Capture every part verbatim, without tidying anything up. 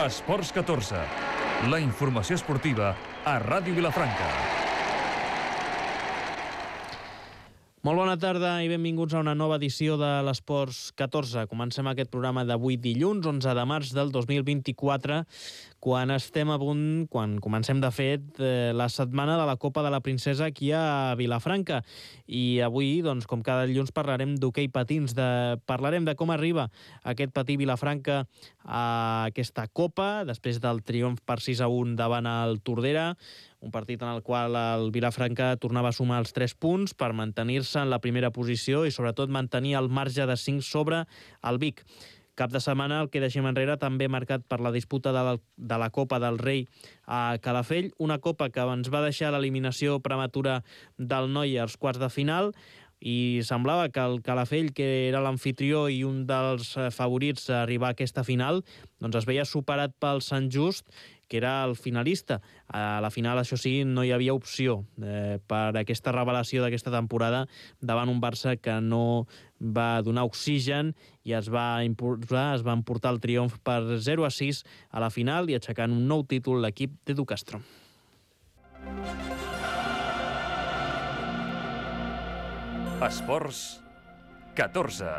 Esports catorze, la informació esportiva a Ràdio Vilafranca. Molt bona tarda i benvinguts a una nova edició de l'Esports catorze. Comencem aquest programa d'avui dilluns, onze de març del dos mil vint-i-quatre, quan estem a punt, quan comencem de fet la setmana de la Copa de la Princesa aquí a Vilafranca. I avui, doncs, com cada dilluns, parlarem d'hoquei patins, de... parlarem de com arriba aquest patí Vilafranca a aquesta Copa, després del triomf per sis a un davant el Tordera, un partit en el qual el Vilafranca tornava a sumar els tres punts per mantenir-se en la primera posició i sobretot mantenir el marge de cinc sobre el Vic. Cap de setmana el que deixem enrere també marcat per la disputa de la, de la Copa del Rei a Calafell, una Copa que ens va deixar l'eliminació prematura del Noi als quarts de final, i semblava que el Calafell, que era l'amfitrió i un dels favorits a arribar a aquesta final, doncs es veia superat pel Sant Just, que era el finalista. A la final, això sí, no hi havia opció eh, per aquesta revelació d'aquesta temporada davant un Barça que no va donar oxigen i es va imposar, es va emportar el triomf per zero a sis a la final i aixecant un nou títol l'equip d'Edu Castro. Esports catorze.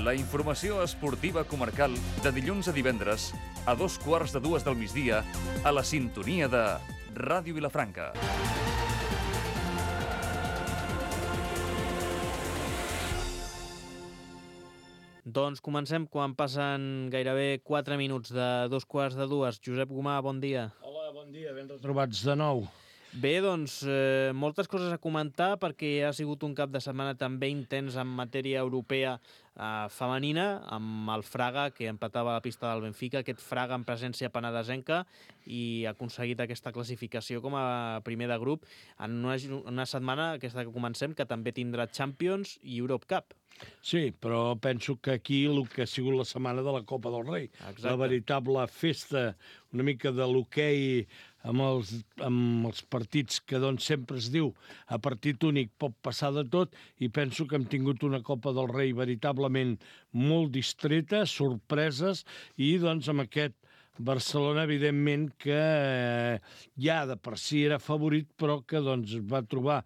La informació esportiva comarcal de dilluns a divendres a dos quarts de dues del migdia a la sintonia de Ràdio Vilafranca. Doncs comencem quan passen gairebé quatre minuts de dos quarts de dues. Josep Gomà, bon dia. Hola, bon dia, ben retrobats de nou. Bé, doncs, eh, moltes coses a comentar perquè ha sigut un cap de setmana també intens en matèria europea eh, femenina, amb el Fraga, que empatava a la pista del Benfica, aquest Fraga en presència penedesenca, i ha aconseguit aquesta classificació com a primer de grup en una, una setmana, aquesta que comencem, que també tindrà Champions i Europe Cup. Sí, però penso que aquí el que ha sigut la setmana de la Copa del Rei. Exacte. La veritable festa, una mica de l'hoquei amb els, amb els partits que doncs sempre es diu a partit únic pot passar de tot, i penso que hem tingut una Copa del Rei veritablement molt distreta, sorpreses, i doncs amb aquest Barcelona, evidentment, que ja de per si era favorit, però que doncs va trobar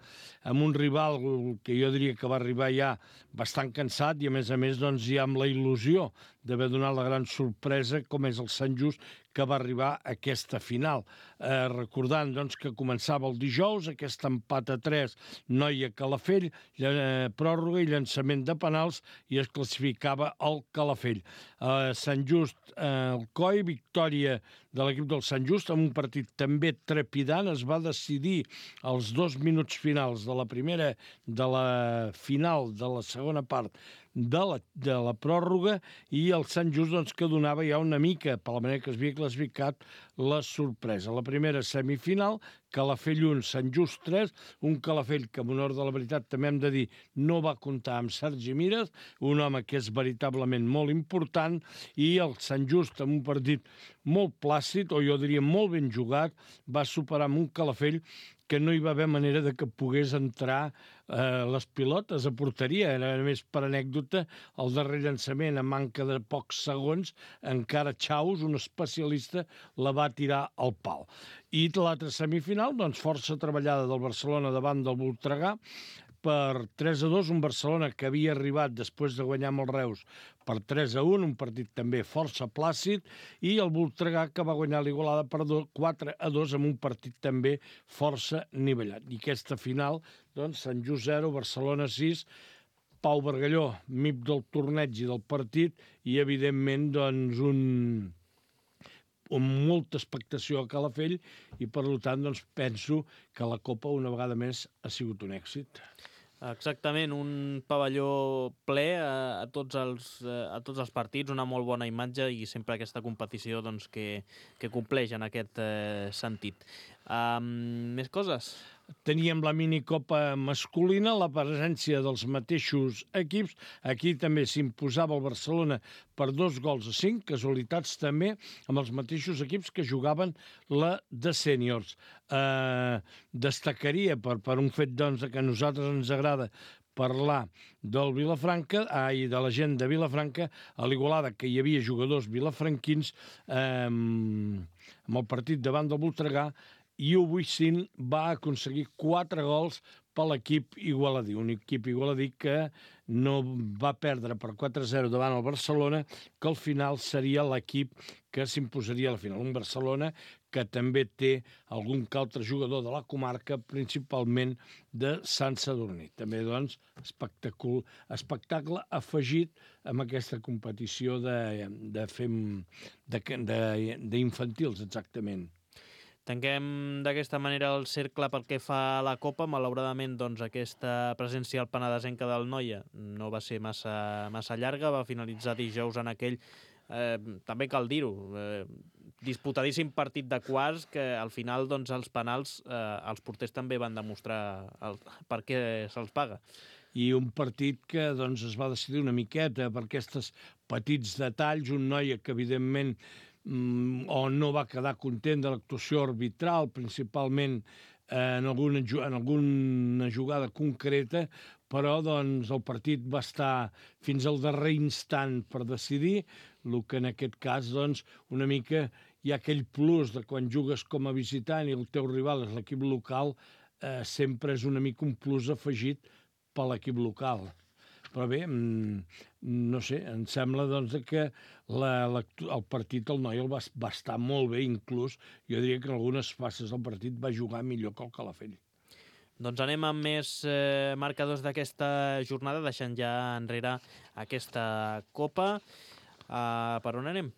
amb un rival que jo diria que va arribar ja bastant cansat i, a més a més, doncs ja amb la il·lusió d'haver donat la gran sorpresa, com és el Sant Just, que va arribar a aquesta final. Eh, recordant doncs, que començava el dijous, aquest empat a tres, Noia Calafell, eh, pròrroga i llançament de penals, i es classificava el Calafell. Eh, Sant Just, eh, el Coi, victòria de l'equip del Sant Just, amb un partit també trepidant. Es va decidir als dos minuts finals de la primera, de la final de la segona part de la, de la pròrroga, i el Sant Just doncs, que donava ja una mica, per la manera que es havia classificat, la sorpresa. La primera semifinal, Calafell un, Sant Just tres, un Calafell que, en honor de la veritat, també hem de dir, no va comptar amb Sergi Mires, un home que és veritablement molt important, i el Sant Just, amb un partit molt plàcid, o jo diria molt ben jugat, va superar amb un Calafell que no hi va haver manera de que pogués entrar eh, les pilotes a porteria. Era més per anècdota el darrer llançament, a manca de pocs segons, encara Chaus, un especialista, la va tirar al pal. I l'altra semifinal, doncs força treballada del Barcelona davant del Voltregà, per tres a dos, un Barcelona que havia arribat després de guanyar amb el Reus per tres a un, un partit també força plàcid, i el Voltregà que va guanyar l'Igualada per quatre a dos amb un partit també força nivellat. I aquesta final, doncs, Sant Just zero, Barcelona sis, Pau Bargalló, M I P del torneig i del partit, i evidentment doncs un... amb molta expectació a Calafell, i per tant doncs, penso que la Copa una vegada més ha sigut un èxit. Exactament, un pavelló ple a, a, tots els, a tots els partits, una molt bona imatge, i sempre aquesta competició doncs, que, que compleix en aquest eh, sentit. Um, més coses? Teníem la minicopa masculina, la presència dels mateixos equips. Aquí també s'imposava el Barcelona per dos gols a cinc, casualitats també, amb els mateixos equips que jugaven la de sèniors. Eh, destacaria, per, per un fet doncs, que a nosaltres ens agrada parlar del Vilafranca, ai, de la gent de Vilafranca, a l'Igualada, que hi havia jugadors vilafranquins eh, amb el partit davant del Voltregà, i U Buicin va aconseguir quatre gols per l'equip igualadí, un equip igualadí que no va perdre per quatre a zero davant el Barcelona, que al final seria l'equip que s'imposaria a la final. Un Barcelona que també té algun que altre jugador de la comarca, principalment de Sant Sadurní. També, doncs, espectacle, espectacle afegit amb aquesta competició de, de fem, de, de, d'infantils, exactament. Tanquem d'aquesta manera el cercle pel que fa a la Copa. Malauradament, doncs, aquesta presència al Penedesenca del Noia no va ser massa, massa llarga, va finalitzar dijous en aquell, eh, també cal dir-ho, eh, disputadíssim partit de quarts que al final, doncs, els penals, eh, els porters també van demostrar el, per què se'ls paga. I un partit que, doncs, es va decidir una miqueta per aquests petits detalls, un Noia que, evidentment, o no va quedar content de l'actuació arbitral, principalment en alguna, en alguna jugada concreta, però doncs, el partit va estar fins al darrer instant per decidir, el que en aquest cas doncs, una mica hi ha aquell plus de quan jugues com a visitant i el teu rival és l'equip local, eh, sempre és una mica un plus afegit per l'equip local. Però bé, no sé, em sembla doncs, que la, la, el partit, el Noia el va, va estar molt bé, inclús, jo diria que en algunes fases del partit va jugar millor que el Calafell. Doncs anem amb més eh, marcadors d'aquesta jornada, deixant ja enrere aquesta Copa. Uh, per on anem?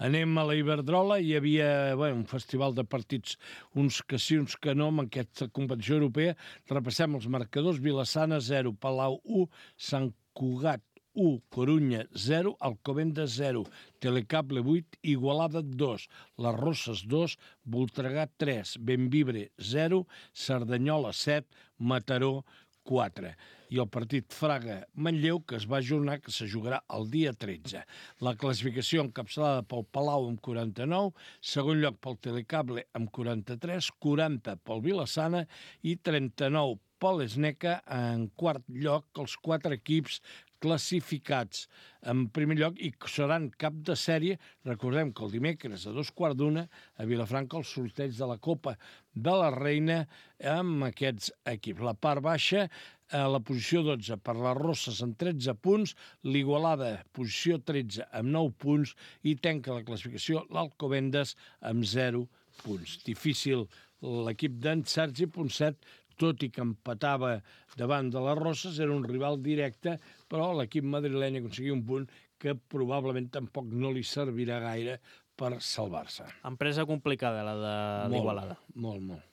Anem a la Iberdrola, hi havia bé, un festival de partits, uns que sí, uns que no, en aquesta competició europea. Repassem els marcadors: Vilassana zero, Palau u, Sant Cugat u, Corunya zero, Alcobendas zero, Telecable vuit, Igualada dos, Les Rosses dos, Voltregà tres, Bembibre zero, Cerdanyola set, Mataró quatre. I el partit Fraga-Manlleu, que es va ajornar, que se jugarà el dia tretze. La classificació encapçalada pel Palau amb quaranta-nou, segon lloc pel Telecable amb quaranta-tres, quaranta pel Vilassana i trenta-nou pel Esneca, en quart lloc els quatre equips classificats en primer lloc i seran cap de sèrie. Recordem que el dimecres a dos quarts d'una a Vilafranca el sorteig de la Copa de la Reina amb aquests equips. La part baixa, a la posició dotze per les Rosses amb tretze punts, l'Igualada posició tretze amb nou punts i tanca la classificació l'Alcobendas amb zero punts. Difícil l'equip d'en Sergi Ponset, tot i que empatava davant de les Rosses, era un rival directe, però l'equip madrileny aconseguia un punt que probablement tampoc no li servirà gaire per salvar-se. Empresa complicada, la de l'Igualada. Molt, molt.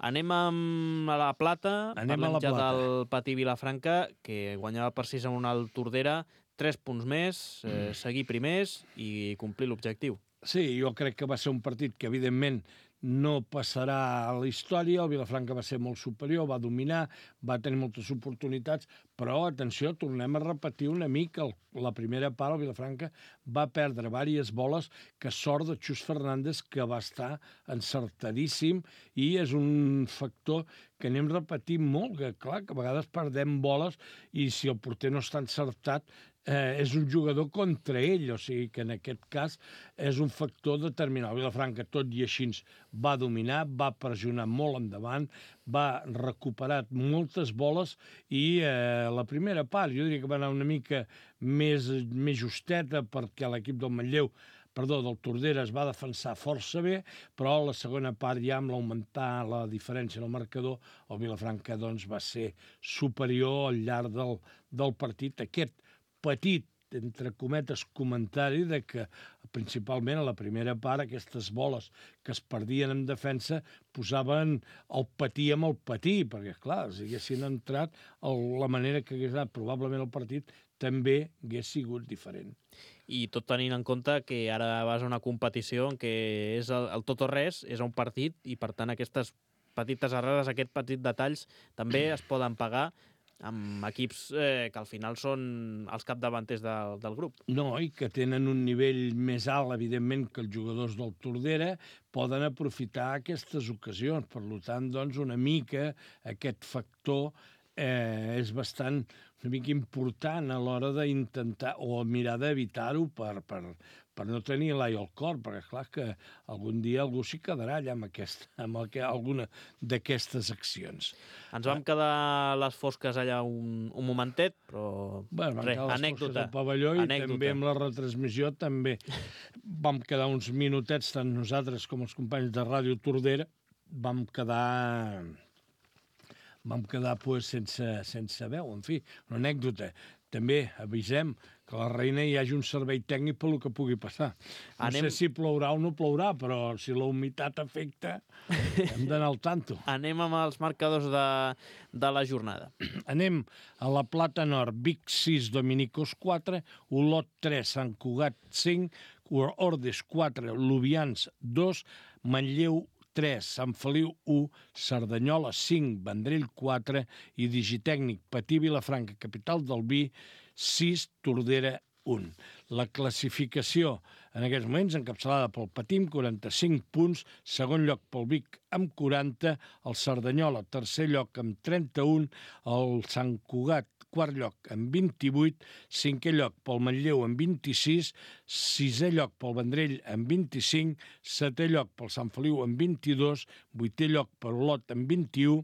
Anem amb la Plata, Anem parlem a la ja Plata. del Patí Vilafranca, que guanyava per sis a un al Tordera, tres punts més, eh, seguir primers i complir l'objectiu. Sí, jo crec que va ser un partit que, evidentment, no passarà a la història. El Vilafranca va ser molt superior, va dominar, va tenir moltes oportunitats, però, atenció, tornem a repetir una mica. La primera part, el Vilafranca va perdre diverses boles, que sort de Xus Fernández, que va estar encertadíssim, i és un factor que anem repetint molt, que clar, que a vegades perdem boles i si el porter no està encertat, eh, és un jugador contra ell, o sigui que en aquest cas és un factor determinant. El Vilafranca, tot i així, va dominar, va pressionar molt endavant, va recuperar moltes boles i eh, la primera part jo diria que va anar una mica més, més justeta perquè l'equip del Manlleu perdó, del Tordera es va defensar força bé, però la segona part ja amb l'augmentar la diferència en el marcador, el Vilafranca doncs, va ser superior al llarg del, del partit. Aquest petit, entre cometes, comentari de que principalment a la primera part aquestes boles que es perdien en defensa posaven el patí amb el patí, perquè clar, si haguessin entrat el, la manera que hagués anat probablement el partit també hagués sigut diferent. I tot tenint en compte que ara vas a una competició en què és el, el tot o res, és un partit, i per tant aquestes petites errades, aquests petits detalls també es poden pagar amb equips eh, que al final són els capdavanters de, del grup. No, i que tenen un nivell més alt, evidentment, que els jugadors del Tordera, poden aprofitar aquestes ocasions. Per tant, doncs, una mica aquest factor eh, és bastant una mica important a l'hora d'intentar o mirar d'evitar-ho per, per, per no tenir l'ai al cor, perquè clar que algun dia algú s'hi quedarà allà amb, aquest, amb el, alguna d'aquestes accions. Ens vam quedar les fosques allà un, un momentet, però bueno, res, anècdota. Al pavelló i anècdota. també amb la retransmissió també vam quedar uns minutets, tant nosaltres com els companys de Ràdio Tordera, vam quedar... vam quedar pues, sense, sense veu, en fi, una anècdota. També avisem que a la Reina hi hagi un servei tècnic per el que pugui passar. No Anem... sé si plourà o no plourà, però si la humitat afecta, hem d'anar al tanto. Anem amb els marcadors de, de la jornada. Anem a la Plata Nord, Vic sis, Dominicos quatre, Olot tres, Sant Cugat cinc, Ordes quatre, Lubians dos, Manlleu tres, Sant Feliu u, Cerdanyola cinc, Vendrell quatre i Digitècnic Patí Vilafranca, capital del vi, sis, Tordera un. La classificació en aquests moments encapçalada pel Patí amb quaranta-cinc punts, segon lloc pel Vic amb quaranta, el Cerdanyola tercer lloc amb trenta-un, el Sant Cugat quart lloc amb vint-i-vuit, cinquè lloc pel Manlleu amb vint-i-sis, sisè lloc pel Vendrell amb vint-i-cinc, setè lloc pel Sant Feliu amb vint-i-dos, vuitè lloc per Olot amb vint-i-u,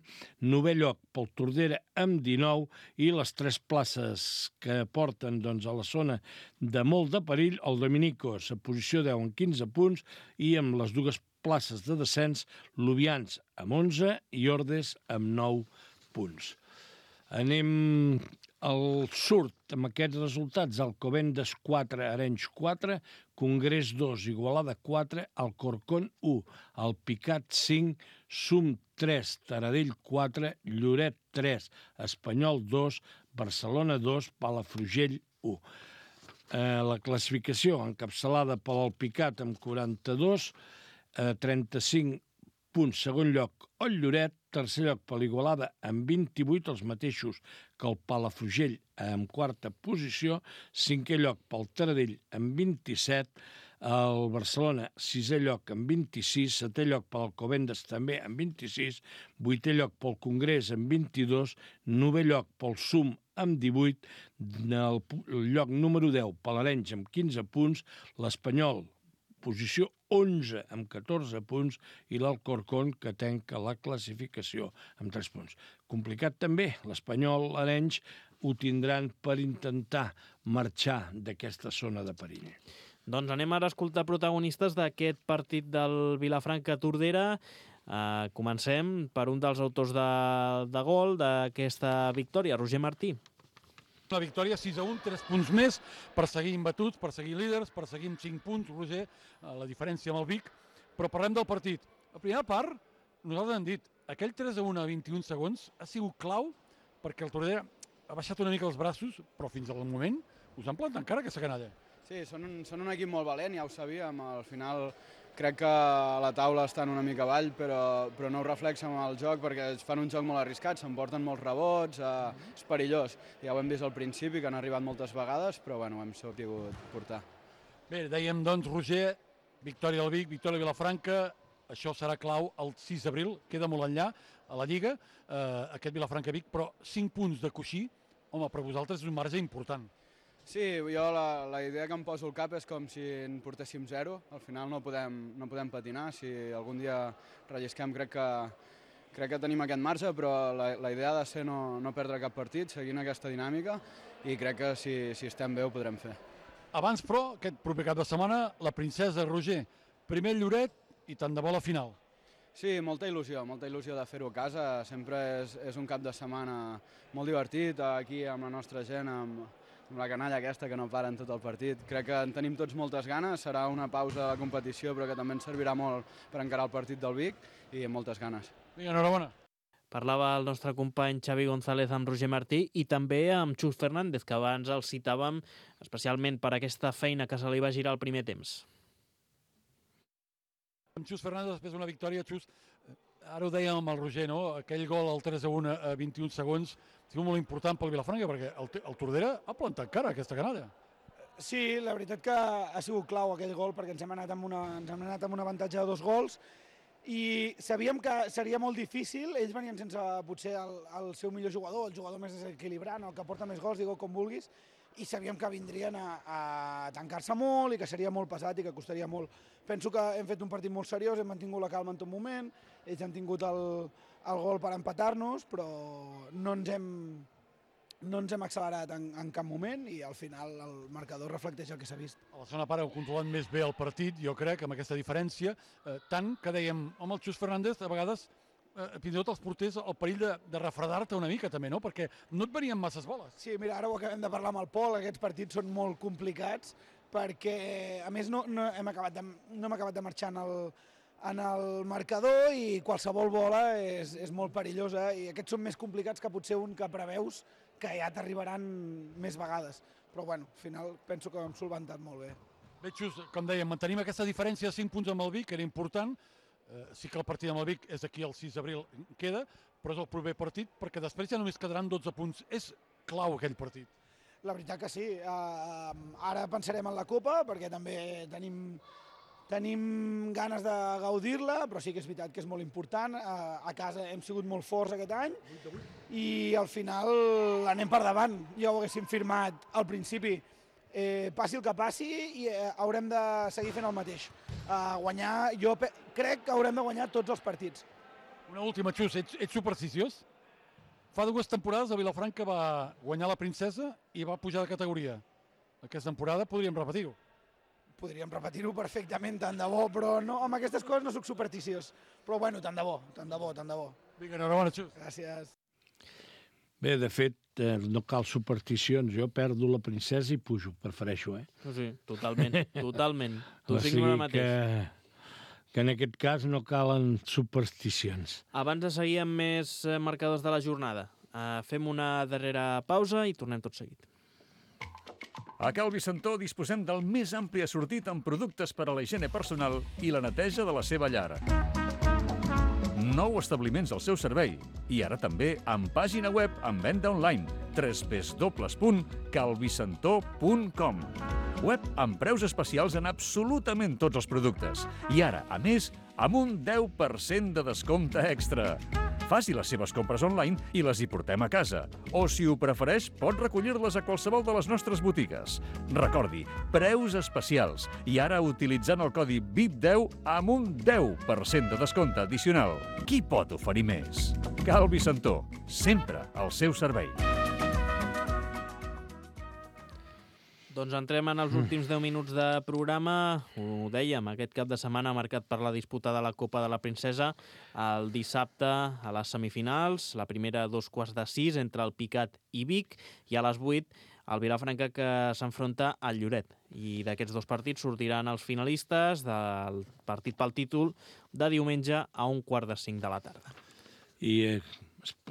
novè lloc pel Tordera amb dinou i les tres places que porten doncs, a la zona de molt de perill, el Dominicos a posició deu amb quinze punts i amb les dues places de descens, Lubians amb onze i Ordes amb nou punts. Anem al surt amb aquests resultats. Alcobendas quatre, Arenys quatre, Congrés dos, Igualada quatre, Alcorcón u, Alpicat cinc, Sum tres, Taradell quatre, Lloret tres, Espanyol dos, Barcelona dos, Palafrugell u. Eh, la classificació encapçalada per l'Alpicat amb quaranta-dos, eh, trenta-cinc punts, segon lloc el Lloret, tercer lloc per l'Igualada amb vint-i-vuit, els mateixos que el Palafrugell amb quarta posició, cinquè lloc pel Taradell amb vint-i-set, el Barcelona sisè lloc amb vint-i-sis, setè lloc per l'Alcobendas també amb vint-i-sis, vuitè lloc pel Congrés amb vint-i-dos, novè lloc pel Sum amb divuit, el lloc número deu per l'Arenys amb quinze punts, l'Espanyol posició onze amb catorze punts i l'Alcorcón que tanca la classificació amb tres punts. Complicat també, l'Espanyol, l'Arenys ho tindran per intentar marxar d'aquesta zona de perill. Doncs anem ara a escoltar protagonistes d'aquest partit del Vilafranca-Tordera. Uh, comencem per un dels autors de, de gol d'aquesta victòria, Roger Martí. La victòria sis a un, tres punts més per seguir imbatuts, per seguir líders, per seguir amb cinc punts, Roger, la diferència amb el Vic. Però parlem del partit. La primera part, nosaltres hem dit, aquell tres a un a vint-i-un segons ha sigut clau perquè el Tordera ha baixat una mica els braços, però fins al moment us han plantat encara aquesta canalla. Sí, són un, són un equip molt valent, ja ho sabíem. Al final crec que a la taula estan una mica avall, però, però no ho reflexen amb el joc perquè fan un joc molt arriscat, s'emporten molts rebots, eh, és perillós. Ja ho hem vist al principi, que han arribat moltes vegades, però bueno, ho hem sabut portar. Bé, dèiem doncs, Roger, victòria del Vic, victòria de Vilafranca, això serà clau el sis d'abril, queda molt enllà a la Lliga, eh, aquest Vilafranca-Vic, però cinc punts de coixí, home, per vosaltres és un marge important. Sí, jo la, la idea que em poso al cap és com si en portéssim zero. Al final no podem, no podem patinar. Si algun dia rellisquem crec que, crec que tenim aquest marge, però la, la idea ha de ser no, no perdre cap partit, seguint aquesta dinàmica, i crec que si, si estem bé ho podrem fer. Abans, però, aquest proper cap de setmana, la princesa Roger, primer Lloret i tant de bo la final. Sí, molta il·lusió, molta il·lusió de fer-ho a casa. Sempre és, és un cap de setmana molt divertit, aquí amb la nostra gent, amb, amb la canalla aquesta que no para en tot el partit. Crec que en tenim tots moltes ganes, serà una pausa de la competició però que també ens servirà molt per encarar el partit del Vic i amb moltes ganes. Vinga, enhorabona. Parlava el nostre company Xavi González amb Roger Martí i també amb Xus Fernández, que abans el citàvem especialment per aquesta feina que se li va girar al primer temps. Amb Xus Fernández, després d'una victòria, Xus, ara ho dèiem amb el Roger, no? Aquell gol al tres a un a vint-i-un segons ha sigut molt important pel Vilafranca perquè el, el Tordera ha plantat cara aquesta canalla. Sí, la veritat que ha sigut clau aquell gol perquè ens hem anat amb, una, ens hem anat amb un avantatge de dos gols i sabíem que seria molt difícil, ells venien sense potser el, el seu millor jugador, el jugador més desequilibrant, el que porta més gols, digue com vulguis, i sabíem que vindrien a, a tancar-se molt i que seria molt pesat i que costaria molt. Penso que hem fet un partit molt seriós, hem mantingut la calma en tot moment, ells han tingut el, el gol per empatar-nos, però no ens hem, no ens hem accelerat en, en cap moment i al final el marcador reflecteix el que s'ha vist. A la segona part heu controlat més bé el partit, jo crec, amb aquesta diferència, eh, tant que dèiem, home, el Xus Fernández, a vegades, eh, fins i tot els porters, el perill de, de refredar-te una mica també, no? Perquè no et venien masses boles. Sí, mira, ara ho acabem de parlar amb el Pol, aquests partits són molt complicats, perquè, a més, no, no, hem acabat de, no hem acabat de marxar en el, en el marcador i qualsevol bola és, és molt perillosa i aquests són més complicats que potser un que preveus que ja t'arribaran més vegades. Però, bueno, al final penso que ho hem solventat molt bé. Bé, Xus, com dèiem, mantenim aquesta diferència de cinc punts amb el Vic, que era important. Eh, sí que el partit amb el Vic és aquí el sis d'abril, queda, però és el proper partit, perquè després ja només quedaran dotze punts. És clau aquell partit. La veritat que sí. Uh, ara pensarem en la Copa, perquè també tenim... Tenim ganes de gaudir-la, però sí que és veritat que és molt important. A casa hem sigut molt forts aquest any i al final anem per davant. Ja ho haguéssim firmat al principi. Eh, passi el que passi i eh, haurem de seguir fent el mateix. Uh, guanyar, jo crec que haurem de guanyar tots els partits. Una última, Xus, ets, ets supersticiós? Fa dues temporades el Vilafranca va guanyar la Princesa i va pujar de categoria. Aquesta temporada podríem repetir-ho. Podríem repetir-ho perfectament, tant de bo, però no, amb aquestes coses no soc supersticiós. Però bueno, tant de bo, tant de bo, tant de bo. Vinga, enhorabona, Xus. Gràcies. Bé, de fet, eh, no cal supersticions. Jo perdo la princesa i pujo, prefereixo, eh? Sí, totalment, totalment. Tu O cinc sigui ara mateix. que, que en aquest cas no calen supersticions. Abans de seguir amb més eh, marcadors de la jornada, eh, fem una darrera pausa i tornem tot seguit. A Cal Vicentó disposem del més ampli assortit en productes per a la higiene personal i la neteja de la seva llar. Nou establiments al seu servei i ara també amb pàgina web amb venda online w w w punt calvicentó punt com. Web amb preus especials en absolutament tots els productes. I ara, a més, amb un deu per cent de descompte extra. Faci les seves compres online i les hi portem a casa. O, si ho prefereix, pot recollir-les a qualsevol de les nostres botigues. Recordi, preus especials. I ara utilitzant el codi V I P deu amb un deu per cent de descompte addicional. Qui pot oferir més? Cal Vicentó, sempre al seu servei. Doncs entrem en els últims deu minuts de programa. Ho dèiem, aquest cap de setmana marcat per la disputa de la Copa de la Princesa. El dissabte a les semifinals, la primera a dos quarts de sis entre el Picat i Vic, i a les vuit el Vilafranca que s'enfronta al Lloret. I d'aquests dos partits sortiran els finalistes del partit pel títol de diumenge a un quart de cinc de la tarda. I eh,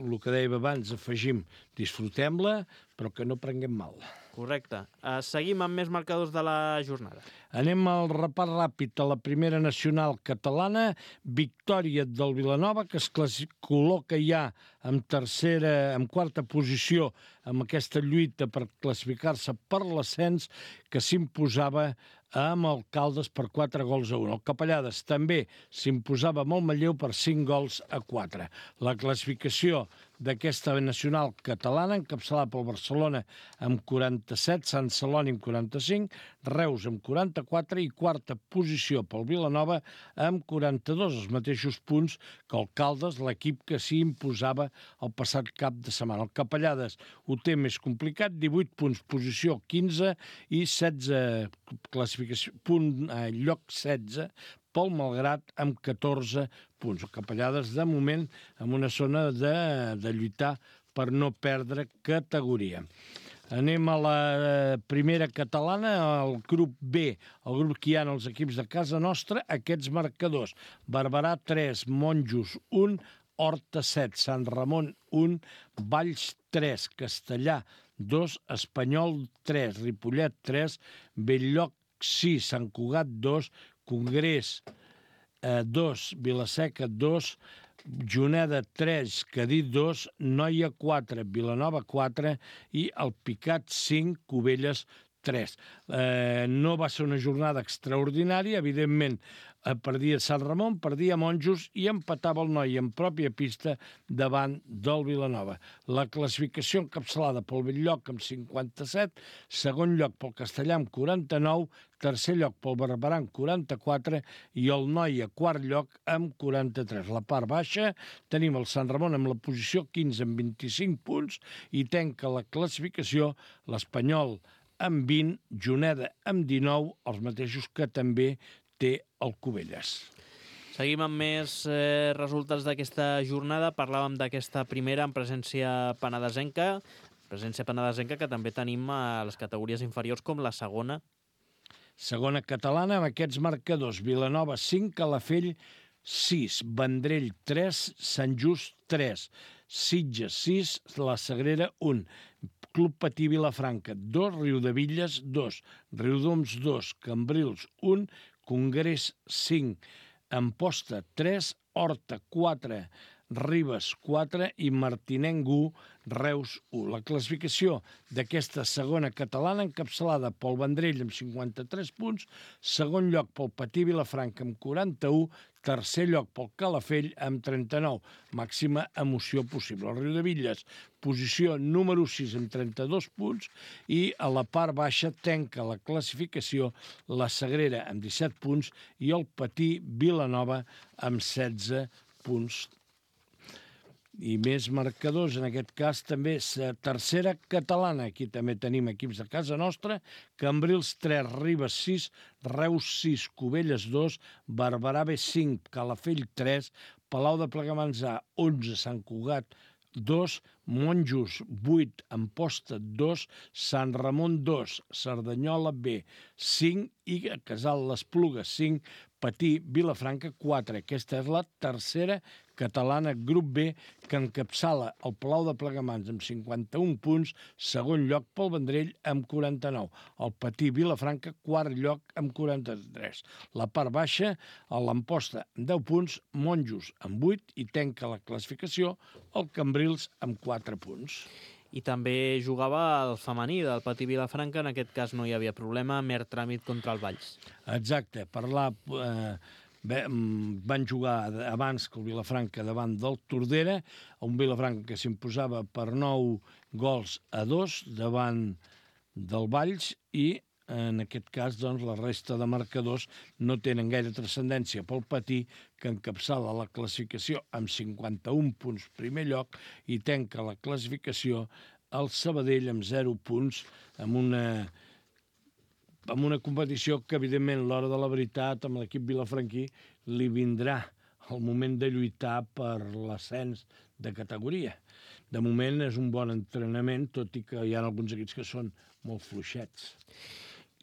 el que dèiem abans, afegim, disfrutem-la, però que no prenguem mal. Correcte. Uh, seguim amb més marcadors de la jornada. Anem al repàs ràpid a la primera nacional catalana, victòria del Vilanova, que es col·loca ja en tercera, en quarta posició amb aquesta lluita per classificar-se per l'ascens, que s'imposava amb el Caldes per quatre gols a un. El Capellades també s'imposava amb el Manlleu per cinc gols a quatre. La classificació d'aquesta nacional catalana, encapçalada pel Barcelona amb quaranta-set, Sant Celoni amb quaranta-cinc, Reus amb quaranta-quatre i quarta posició pel Vilanova amb quaranta-dos, els mateixos punts que el Caldes, l'equip que s'hi imposava el passat cap de setmana. El Capellades ho té més complicat, divuit punts, posició quinze i setze, classificació, punt, eh, lloc setze, pel Malgrat amb catorze punts. El Capellades, de moment, en una zona de, de lluitar per no perdre categoria. Anem a la primera catalana, el grup B, el grup que hi ha els equips de casa nostra, aquests marcadors. Barberà tres, Monjos un, Horta set, Sant Ramon un, Valls tres, Castellà dos, Espanyol tres, Ripollet tres, Belllloc sis, Sant Cugat dos, Congrés dos, Vilaseca dos, Juneda tres, Cadí dos, Noia quatre, Vilanova quatre i el Picat cinc, Cubelles tres. Eh, no va ser una jornada extraordinària, evidentment perdia Sant Ramon, perdia Monjos i empatava el Noi en pròpia pista davant del Vilanova. La classificació encapçalada pel Bell-lloc amb cinquanta-set, segon lloc pel Castellà amb quaranta-nou, tercer lloc pel Barberà amb quaranta-quatre i el Noi a quart lloc amb quaranta-tres. La part baixa tenim el Sant Ramon amb la posició quinze amb vint-i-cinc punts i tanca la classificació l'Espanyol amb vint, Juneda amb dinou, els mateixos que també té el Cubelles. Seguim amb més eh, resultats d'aquesta jornada. Parlàvem d'aquesta primera en presència penedesenca, presència penedesenca que també tenim a les categories inferiors com la segona. Segona catalana amb aquests marcadors. Vilanova cinc, Calafell sis, Vendrell tres, Sant Just tres, Sitges sis, La Sagrera un, Club Patí Vilafranca dos, Riudebitlles dos, Riudoms dos, Cambrils un, Congrés cinc, Amposta tres, Horta quatre, Ribes quatre i Martinenc u, Reus u. La classificació d'aquesta segona catalana encapçalada pel Vendrell amb cinquanta-tres punts, segon lloc pel Patí Vilafranca amb quaranta-u, tercer lloc pel Calafell amb trenta-nou. Màxima emoció possible. El Riudebitlles, posició número sis amb trenta-dos punts i a la part baixa tanca la classificació la Sagrera amb disset punts i el Patí Vilanova amb setze punts. I més marcadors, en aquest cas també tercera catalana. Aquí també tenim equips de casa nostra. Cambrils tres, Ribes sis, Reus sis, Cubelles dos, Barberà B cinc, Calafell tres, Palau de Plegamans A onze, Sant Cugat dos, Monjos vuit, Amposta dos, Sant Ramon dos, Cerdanyola B cinc i Casal l'Espluga cinc, Patí Vilafranca quatre. Aquesta és la tercera catalana, grup B, que encapçala el Palau de Plegamans amb cinquanta-un punts, segon lloc pel Vendrell amb quaranta-nou. El Patí Vilafranca, quart lloc amb quaranta-tres. La part baixa, l'Amposta amb deu punts, Monjos amb vuit i tanca la classificació el Cambrils amb quatre punts. I també jugava el femení del Patí Vilafranca, en aquest cas no hi havia problema, mer tràmit contra el Valls. Exacte, parlar... Eh, bé, van jugar abans que el Vilafranca davant del Tordera, un Vilafranca que s'imposava per nou gols a dos davant del Valls i en aquest cas doncs, la resta de marcadors no tenen gaire transcendència pel Patí, que encapçala la classificació amb cinquanta-un punts primer lloc i tanca la classificació el Sabadell amb zero punts amb una, amb una competició que evidentment l'hora de la veritat amb l'equip vilafranquí li vindrà el moment de lluitar per l'ascens de categoria. De moment és un bon entrenament, tot i que hi ha alguns equips que són molt fluixets.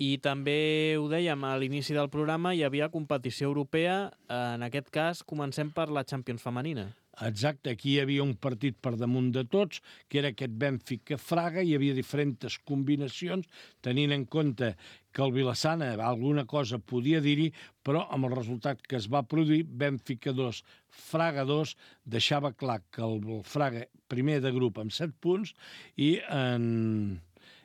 I també ho dèiem a l'inici del programa, hi havia competició europea, en aquest cas comencem per la Champions femenina. Exacte, aquí hi havia un partit per damunt de tots, que era aquest Benfica-Fraga, hi havia diferents combinacions, tenint en compte que el Vilassana alguna cosa podia dir-hi, però amb el resultat que es va produir, Benfica dos, Fraga dos, deixava clar que el Fraga primer de grup amb set punts i en...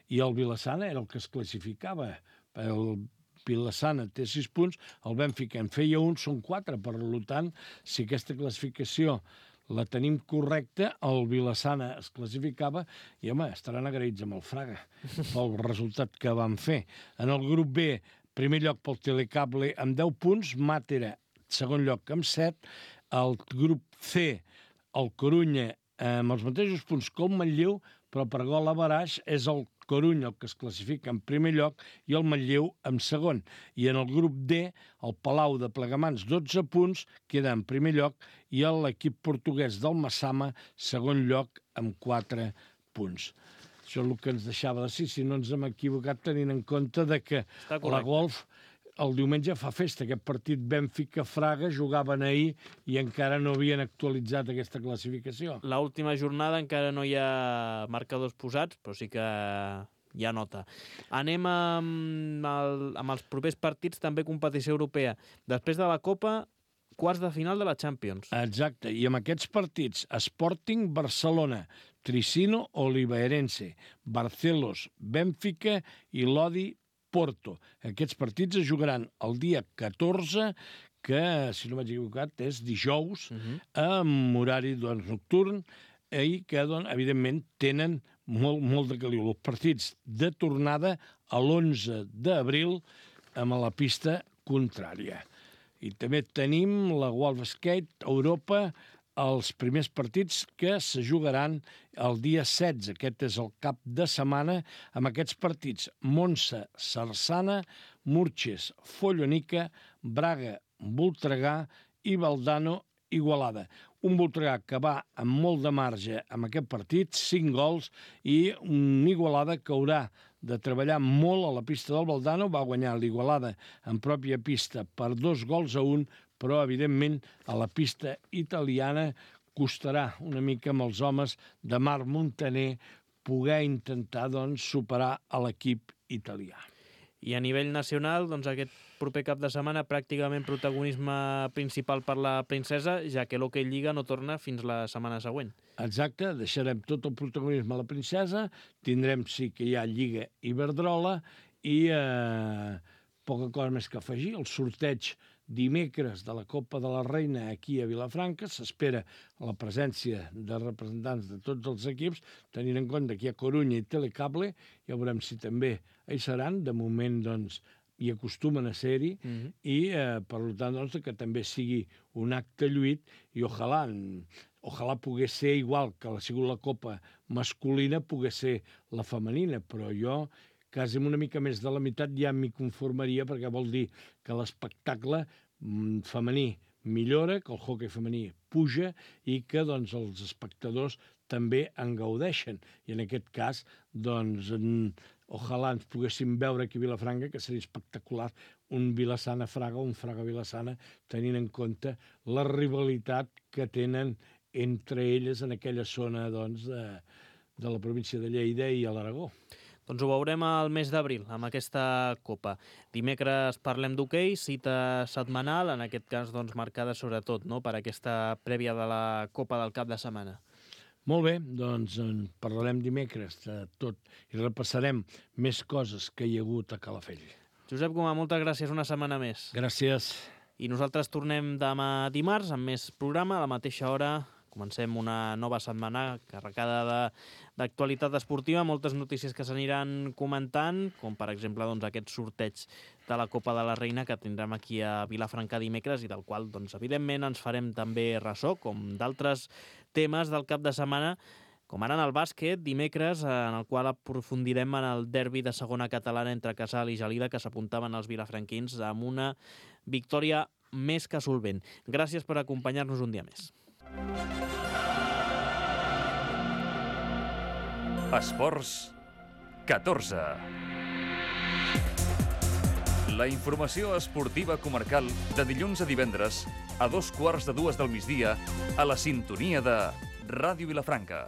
i el Vilassana era el que es classificava. El Vilassana té sis punts, el Benfica en feia un, són quatre. Per tant, si aquesta classificació la tenim correcta, el Vilassana es classificava i, home, estaran agraïts amb el Fraga pel resultat que van fer. En el grup B, primer lloc pel Telecable amb deu punts, Màtera, segon lloc amb set, el grup C, el Corunya, amb els mateixos punts que el Manlleu, però per gol a baraix és el Corunya el que es classifica en primer lloc i el Manlleu en segon. I en el grup D, el Palau de Plegamans, dotze punts, queda en primer lloc, i l'equip portuguès del Massama, segon lloc, amb quatre punts. Això és el que ens deixava de dir, si no ens hem equivocat tenint en compte de que la Golf el diumenge fa festa. Aquest partit Benfica-Fraga jugaven ahir i encara no havien actualitzat aquesta classificació. L'última jornada encara no hi ha marcadors posats, però sí que hi ha nota. Anem amb, el, amb els propers partits, també competició europea. Després de la Copa, quarts de final de la Champions. Exacte, i amb aquests partits, Sporting Barcelona, Tricino Oliveirense, Barcelos Bènfica i Lodi Porto. Aquests partits es jugaran el dia catorze, que, si no m'haig equivocat, és dijous, uh-huh. amb horari doncs, nocturn, i que, doncs, evidentment, tenen molt, molt de caliu. Els partits de tornada a l'onze d'abril amb la pista contrària. I també tenim la World Skate Europa, els primers partits que se jugaran el dia setze. Aquest és el cap de setmana amb aquests partits. Monza, Sarsana, Murches, Follonica, Braga, Voltregà i Valdano, Igualada. Un Voltregà que va amb molt de marge amb aquest partit, cinc gols, i un Igualada que haurà de treballar molt a la pista del Valdano. Va guanyar l'Igualada en pròpia pista per dos gols a un, però, evidentment, a la pista italiana costarà una mica amb els homes de Marc Montaner poder intentar doncs, superar a l'equip italià. I a nivell nacional, doncs, aquest proper cap de setmana pràcticament protagonisme principal per la princesa, ja que l'Hockey Lliga no torna fins la setmana següent. Exacte, deixarem tot el protagonisme a la princesa, tindrem sí que hi ha Lliga Iberdrola i eh, poca cosa més que afegir. El sorteig dimecres de la Copa de la Reina aquí a Vilafranca, s'espera la presència de representants de tots els equips, tenint en compte que hi ha Corunya i Telecable, ja veurem si també hi seran, de moment doncs hi acostumen a ser-hi, mm-hmm. i eh, per tant doncs, que també sigui un acte lluit, i ojalà, ojalà pogués ser igual que ha sigut la Copa masculina, pogués ser la femenina, però jo quasi una mica més de la meitat ja m'hi conformaria, perquè vol dir que l'espectacle femení millora, que el hoquei femení puja i que doncs, els espectadors també en gaudeixen. I en aquest cas, doncs, en, ojalà ens poguéssim veure aquí a Vilafranca, que seria espectacular, un Vilassana-Fraga o un Fraga-Vilassana, tenint en compte la rivalitat que tenen entre elles en aquella zona doncs, de, de la província de Lleida i a l'Aragó. Doncs ho veurem al mes d'abril, amb aquesta Copa. Dimecres parlem d'hoquei, cita setmanal, en aquest cas doncs, marcada sobretot no? per aquesta prèvia de la Copa del cap de setmana. Molt bé, doncs en parlarem dimecres de tot i repassarem més coses que hi ha hagut a Calafell. Josep Gomà, moltes gràcies una setmana més. Gràcies. I nosaltres tornem demà dimarts amb més programa a la mateixa hora. Comencem una nova setmana carregada d'actualitat esportiva, moltes notícies que s'aniran comentant, com per exemple doncs, aquest sorteig de la Copa de la Reina que tindrem aquí a Vilafranca dimecres i del qual, doncs, evidentment, ens farem també ressò, com d'altres temes del cap de setmana, com ara en el bàsquet, dimecres, en el qual aprofundirem en el derbi de segona catalana entre Casal i Gelida, que s'apuntaven els vilafranquins amb una victòria més que solvent. Gràcies per acompanyar-nos un dia més. Esports catorze. La informació esportiva comarcal de dilluns a divendres a dos quarts de dues del migdia a la sintonia de Ràdio Vilafranca.